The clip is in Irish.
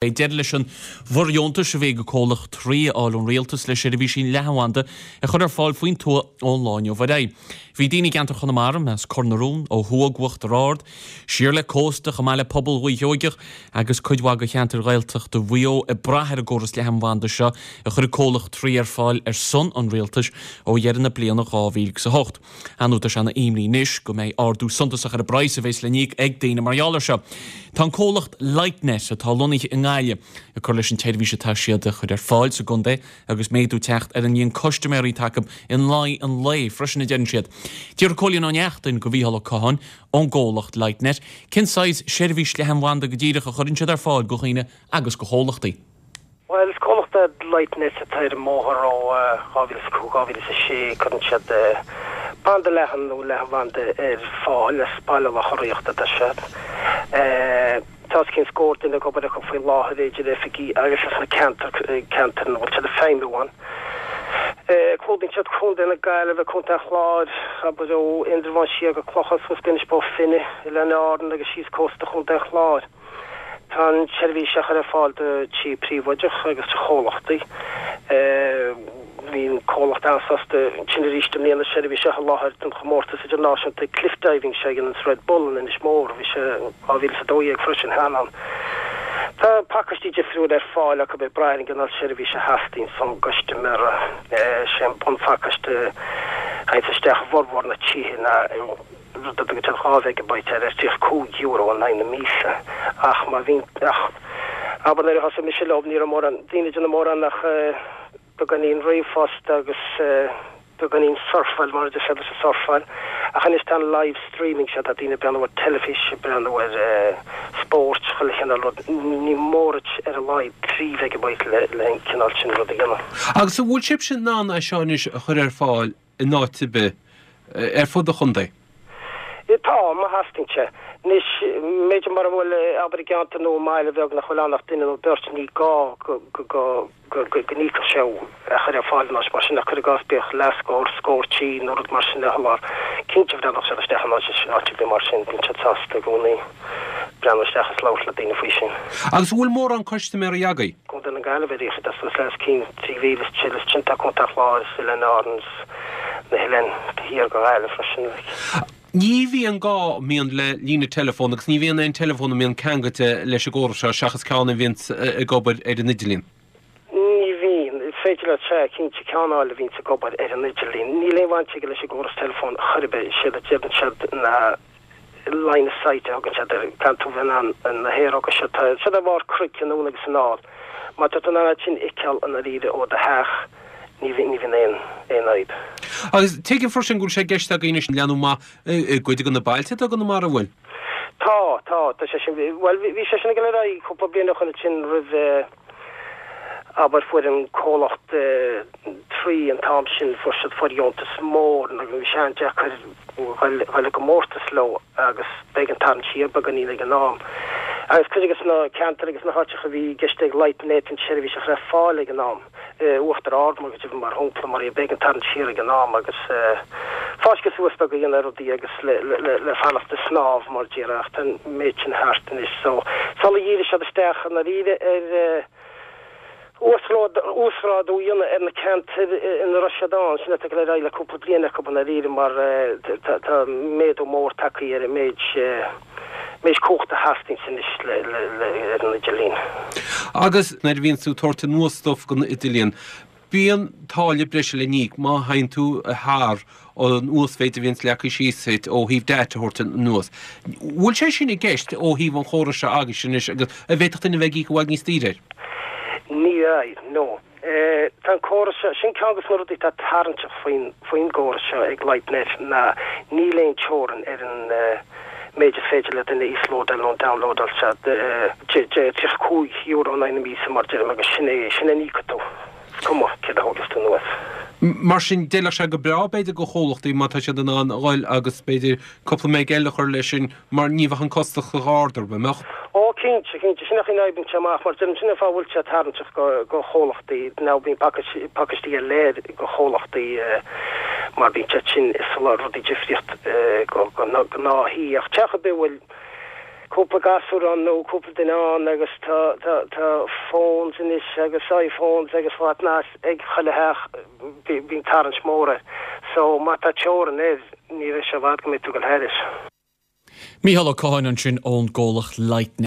Beidh deireadh leis an bhfóirdheontas a bhí ag an comhlacht Three a fháil ón rialtas le seirbhísí leathanbhanda a chur ar fáil faoin tuath ón lá inniu ar aghaidh. Bhí daoine i gceantar Chonamara, as Cor na Rón, ó thuaidh d'Uachtar Ard, siar le cósta, chomh maith le pobal Dhúiche Sheoigeach agus cuid mhaith de cheantair Ghaeltachta Mhaigh Eo ag brath ar an gcóras leathanbhanda seo a chuir an comhlacht Three ar fáil ar son an rialtais ó dheireadh na bliana 2008. Ar ndóigh, tá sé ina imní anois go mbeidh ardú suntasach ar an bpraghas a bheas le n-íoc ag daoine mar gheall air seo. Tá an comhlacht Lightnet, atá lonnaithe i nGaillimh, ag cur leis an tseirbhís atá siad a chur ar fáil sa gcontae agus méadú ag teacht ar an líon custaiméirí atá acu in aghaidh an lae freisin, a deireann siad. D'fhiafraigh Cóilín Ó Neachtain de Mhícheál Ó Catháin ón gcomhlacht Lightnet cén saghas seirbhís leathanbhanda go díreach a chuireann siad ar fáil do dhaoine agus do chomhlachtaí. Bhuel, is comhlacht é Lightnet atá ar an mbóthar ó 2005, 2006. Cuireann siad banda leathan nó leathanbhanda ar fáil as Baile Locha Riach atá siad. Tá os cionn scór duine ag obair acu faoi láthair, idir oifigí agus sna ceantair, ceantair ina bhfuil siad ag feidhmiú ann. Clúdaíonn siad Contae na Gaillimhe, Contae an Chláir, abair ó Indreabhán siar go Clochán suas go Inis Bó Finne, Oileáin Árann agus síos cósta Chontae an Chláir. Tá an tseirbhís á chur ar fáil do tithe príobháideach agus do chomhlachtaí. Bhí an comhlacht an-sásta ansin arís i mbliana seirbhís a sholáthar don chomórtas idirnáisiúnta Cliff Diving seo a dhéananns Red Bull in Inis Mór. Bhí sé in 2012 freisin cheana ann. Tá pacáistí difriúil ar fáil acu ag brath ar an gcineál seirbhís a theastaíonns ón gcustaiméara. Sé an bunphacáiste a théanns isteach i bhformhór na tithe ná rud a dtugann siad 2 mheigeabyte air ar €35 in aghaidh na míosa ach má bhíonn ach abair nuair a thosaigh mise leo ní raibh mórán daoine ag déanamh mórán ach beagáinín ríomhphost agus beagáinín surfáil mar a deir siad leis an surfáil ach anois tá an live streaming seo tá daoine ag breathnú ar teilifís ag breathnú ar spóirt chuile chineál rud ní mór duit ar a laghad 3 mheigeabyte le le an cineál sin rud a dhéanamh. Agus an bhfuil sibhse in ann é seo anois a chur ar fáil in áit ar bith ar fud an chontae? Tá, má theastaíonn sé. Anois, b'fhéidir mura bhfuil, abair i gceantar nó i mbaile bheag nach bhfuil ann ach duine nó beirt, ní gá go n-íocfadh sé a chur ar fáil in áit mar sin ach cuir i gcás bíodh leathscór, scór tí nó rud mar sin a sholáthar. Cinnte bhreathnódh siad isteach in áit ar bith mar sin, bíonn siad sásta i gcónaí breathnú isteach is labhairt le daoine faoi sin. Agus an bhfuil mórán custaiméirí agaibh? Contae na Gaillimhe ar aon chaoi, tá suas le os cionn 3,000 is tuilleadh ansin tá Contae an Chláir is Oileáin Árann is na hoileáin thiar go Gaillimh freisin like. Ní bhíonn gá an mbíonn le líne teileafóin agus ní bhíonn aon teileafón a mbíonn ceangailte leis an gcóras seo seachas ceann a bhíonns ag obair ar an idirlíon. Ní bhíonn. Is féidir leat, sea, cinnte, ceann a fháil a bhíonns ag obair ar an idirlíon. Níl aon bhaint aige leis an gcóras teileafóin chor ar bith. Séard a deireann siad ná line of sight a thugann siad air, caithfidh tú bheith in ann na haeróga seo, tá siad ar bharr cnoic anonn agus anall. Má tá tú in ann iad sin a fheiceáil i ndáiríre ó do theach, ní bhíonn, ní bhíonn aon, aon fhadhb. Agus tuigim freisin go bhfuil sé i gceist agaibh anois leathnú amach i gcuid de na bailte atá i gConamara, an bhfuil? Tá, tá, tá sé sin, bhuel, bhí sé sin ag dul ar aghaidh cúpla bliain ó shoin ansin roimh, Abair, fuair an comhlacht Three an t-am sin, fuair siad fóirdheontas mór agus bhí sé an-deacair dhul i gcomórtas leo agus b'éigean tarraingt siar beagáinín ag an am. Agus cuid de na ceantair agus na háiteacha a bhí i gceist ag Lightnet an tseirbhís a chur ar fáil ag an am, Uachtar Ard mar mar shampla, mar b'éigean tarraingt siar ag an am agus fáisceadh suas beag a dhéanamh ar rudaí agus le fanacht ag snámh mar a déarfá ach tá an méid sin thart anois so sular dhírigh siad isteach i ndáiríre ar uasghrádú a dhéanamh ar na ceantair ina raibh siad ann, sin atá ag dul ar aghaidh le cúpla bliain acu i ndáiríre mar tá méadú mór tagtha ar an méid méid cumhachta a theastaíonns anois ar an idirlíon. Agus nuair a bhíonns tú ag tabhairt anuas stuif den idirlíon, bíonn táille breise le n-íoc má théann tú thar an uasmhéid a bhíonns leagtha síos duit ó thaobh data a thabhairt anuas. Bhfuil sé sin i gceist ó thaobh an chórais seo agaibhse anois agus an bhféadfadh duine a bheith ag íoc i bhfad níos daoire air? Ní bheidh, no. Tá an córas seo, sin ceann de na rudaí atá tarraingteach faoin faoin gcóras seo ag Lightnet ná níl aon teorainn ar an méid is féidir le duine íoslódáil nó downloadáil sea, €35 in aghaidh na míosa mar deirim agus sin é, sin é a n-íocfaidh tú, is cuma céard a thógas tú anuas. Mar sin, d'fheilfeadh sé go breá b'fhéidir do chomhlachtaí má tá siad in ann a dhul agus b'fhéidir cúpla meg eile a chur leis sin mar ní bheadh an costas chomh hard orthu, an mbeadh? Ó, cinnte, cinnte. Sin é an chaoi a n-oibríonn sé amach mar deirim, sin é an fáth a bhfuil sé tarraingteach do, do chomhlachtaí. Now bíonn pacáistí ar leith do chomhlachtaí mar bíonn siad sin ag soláthar rudaí difríocht do ghnáth-thí ach teach ar bith a bhfuil. cúpla gasúr ann nó cúpla duine ann agus tá tá tá phones anois agus iPhones agus what not ag chuile theach bíonn tarraingt mór air. So má tá teorainn air ní bheidh sé i bhfad go mbeidh tú ag dul thairis. Mícheál Ó Catháin ansin ón gcomhlacht Lightnet.